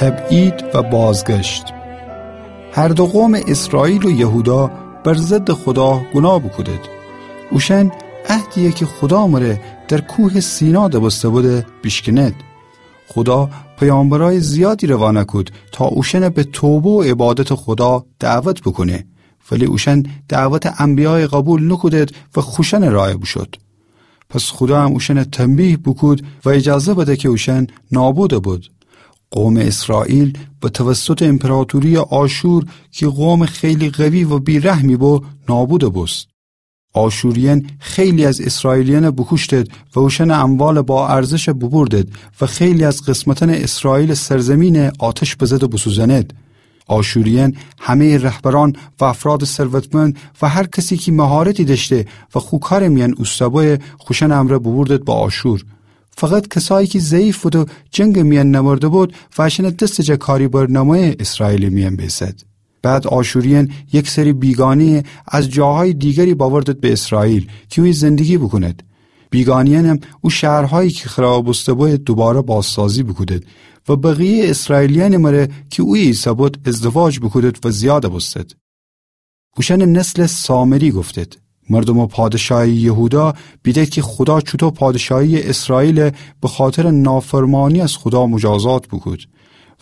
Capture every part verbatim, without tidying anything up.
تبعید و بازگشت. هر دو قومٚ اسرائیل و یهودا بر ضدٚ خودا گوناه بوکودید. اوشأن عهدیی کی خودا مره در کوهٚ سینا دبسته بوده بیشکنید. خودا پیامبرأیٚ زیادی روانه کود تا اوشأن به توبه و عبادتٚ خودا دعوت بوکونه، ولی اوشأن دعوتٚ انبیایَ قوبیل نوکودید و خوشأنٚ رأیَ بوشود. پس خودا هم اوشأنَ تنبیه بوکود و ایجازه بده کی اوشأن نابود ببود. قومٚ اسرائیل به توسطٚ ایمپراطورییٚ آشور کی قومٚ خیلی قوی و بی‌رحمی بو، نابود بوست. آشوریأن خیلی از اسرائیلیأنَ بوکوشتید و اوشأنٚ اموالٚ با ارزشَ بوبوردید و خیلی از قسمتأنٚ اسرائیلٚ سرزمینَ آتش بزده بوسوزأنید. آشوریأن همه‌یٚ رهبرأن و افرادٚ ثروتمند و هر کسی کی مهارتی دأشته و خو کارٚ میأن اوسته بویه خوشأنٚ امرأ بوبوردید به آشور. فقط کسایی کی ضعیف بود و جنگٚ میأن نمرده بود و اشأنٚ دستٚ جا کاری بر نمویه اسرائیلٚ میأن بیسد. بعد آشوریأن یک سری بیگانه‌یَ از جاهایٚ دیگری بأوردید به اسرائیل کی اویه زندگی بوکونید. بیگانه‌یأنم او شهرهایی کی خرابَ بوسته بویه دوباره بازسازی بوکودید و بقیه‌یٚ اسرائیلیأنٚ مره کی اویه ایسه‌بود ازدواج بوکودید و زیاد بوستید. اوشأنٚ نسلَ سامری گفتید. مردومٚ پادشاهیٚ یهودا بیدید کی خودا چوطو پادشاهیٚ اسرائیلَ به خاطرٚ نافرمانی از خودا مجازات بوکود،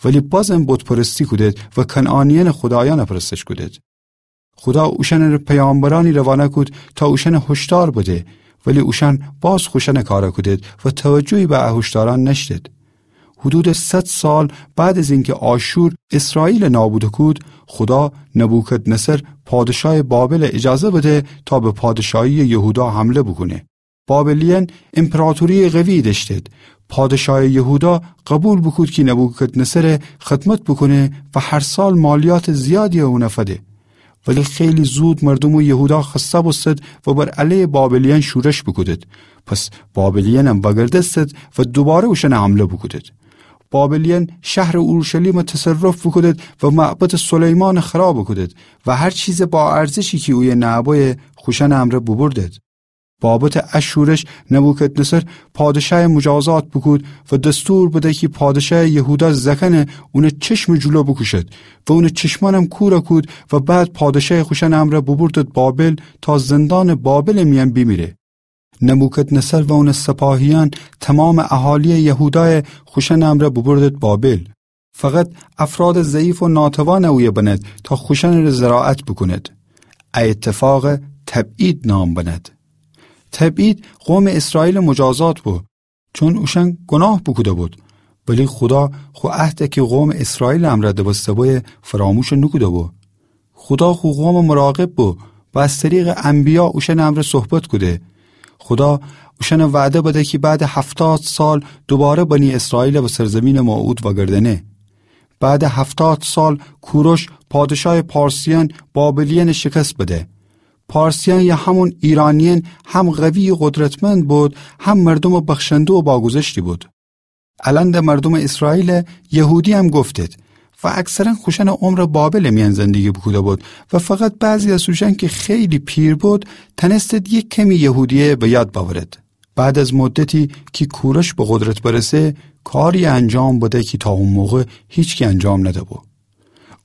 ولی بازم بت‌پرستی کودید و کنعانیأنٚ خدایأنَ پرستش کودید. خودا اوشأنٚ پیامبرأنی روانه کود تا اوشأنَ هشدار بده، ولی اوشأن باز خوشأنٚ کارَ کودید و توجهی به ا هشدارأن نأشتید. حدودٚ صد سال بعد از اینکی آشور اسرائیلَ نابود کود، خودا نبوکدنصر پادشاهٚ بابلَ ایجازه بده تا به پادشاهیٚ یهودا حمله بوکونه. بابلیأن ایمپراطورییٚ قوی دأشتید. پادشاهٚ یهودا قوبیل بوکود کی نبوکدنصرَ خدمت بوکونه و هر سال مالیاتٚ زیادیی اونَ فده. ولی خیلی زود مردومٚ یهودا خسته بوستید و بر علیه بابلیأن شورش بوکودید. پس بابلیأنم وأگردستید و دوباره اوشأنَ حمله بوکودید. بابلیأن شهرٚ اورشلیمَ تصرف بوکودید و معبدٚ سلیمانَ خراب بوکودید و هر چیزٚ با ارزشی کی اویه نأبویه خوشأنٚ امرأ بوبوردید. بابتٚ ا شورش نبوکدنصر پادشاهَ مجازات بوکود و دستور بده کی پادشاهٚ یهودا زأکأنَ اونٚ چشمٚ جلو بوکوشد و اونٚ چشمأنم کورَ کود و بعد پادشاهَ خوشأنٚ امرأ بوبوردید بابل تا زندانٚ بابلٚ میأن بیمیره. نبوکدنصر و اونٚ سپاهیأن تومامٚ اهالییٚ یهودایَ خوشأنٚ امرأ بوبوردید بابل. فقط افرادٚ ضعیف و ناتوانَ اویه بنید تا خوشأنٚره زراعت بوکونید. ا ایتفاقَ تبعید نام بنید. تبعید قومٚ اسرائیلٚ مجازات بو، چون اوشأن گوناه بوکوده بود، ولی خودا خو عهدَ کی قومٚ اسرائیلٚ امرأ دبسته بویه فراموش نوکوده بو. خودا خو قومٚ مراقب بو و از طریقٚ انبیا اوشأنٚ امرأ صحبت کوده. خودا اوشأنَ وعده بده کی بعدٚ هفتاد سال دوباره بنی اسرائیلَ به سرزیمینٚ موعود وأگردأنه. بعدٚ هفتاد سال کوروش پادشاهٚ پارسیأن بابلیأنَ شکست بده. پارسیأن یا همون ایرانیأن هم قوی و قدرتمند بود، هم مردومٚ بخشنده و باگذشتی بود. الأن ده مردومٚ اسرائیلٚ یهودییم گفتید و اکثرا خوشأنٚ عمرَ بابلٚ میأن زندگی بوکوده بود و فقط بعضی از اوشأن کی خیلی پیر بود تأنستید یک کمی یهودیه به یاد بأورید. بعد از مدتی کی کوروش به قدرت برسه، کاری انجام بده کی تا او موقع هیچکی انجام ندهبو.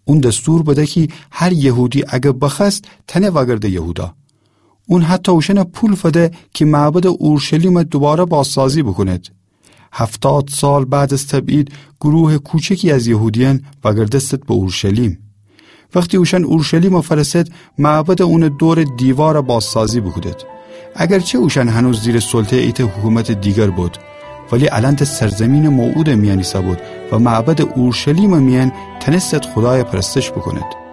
اون دستور بده کی هر یهودی اگر بخوأست تأنه وأگرده یهودا. اون حتی اوشأنَ پول فده کی معبدٚ اورشلیمَ دوباره بازسازی بوکونید. هفتاد سال بعد از تبعید گروه کوچکی از یهودیأن وأگردستید به اورشلیم. وختی اوشأن اورشلیمَ فأرسد، معبدٚ اونٚ دورٚ دیوارَ بازسازی بوکودید. اگرچه اوشأن هنوز زیرٚ سلطه‌یٚ ایتأ حکومتٚ دیگر بود، ولی الأن ده سرزیمینٚ موعودٚ میأن ایسهبود و معبدٚ اورشلیمٚ میأن تأنستید خودایَ پرستش بوکونید.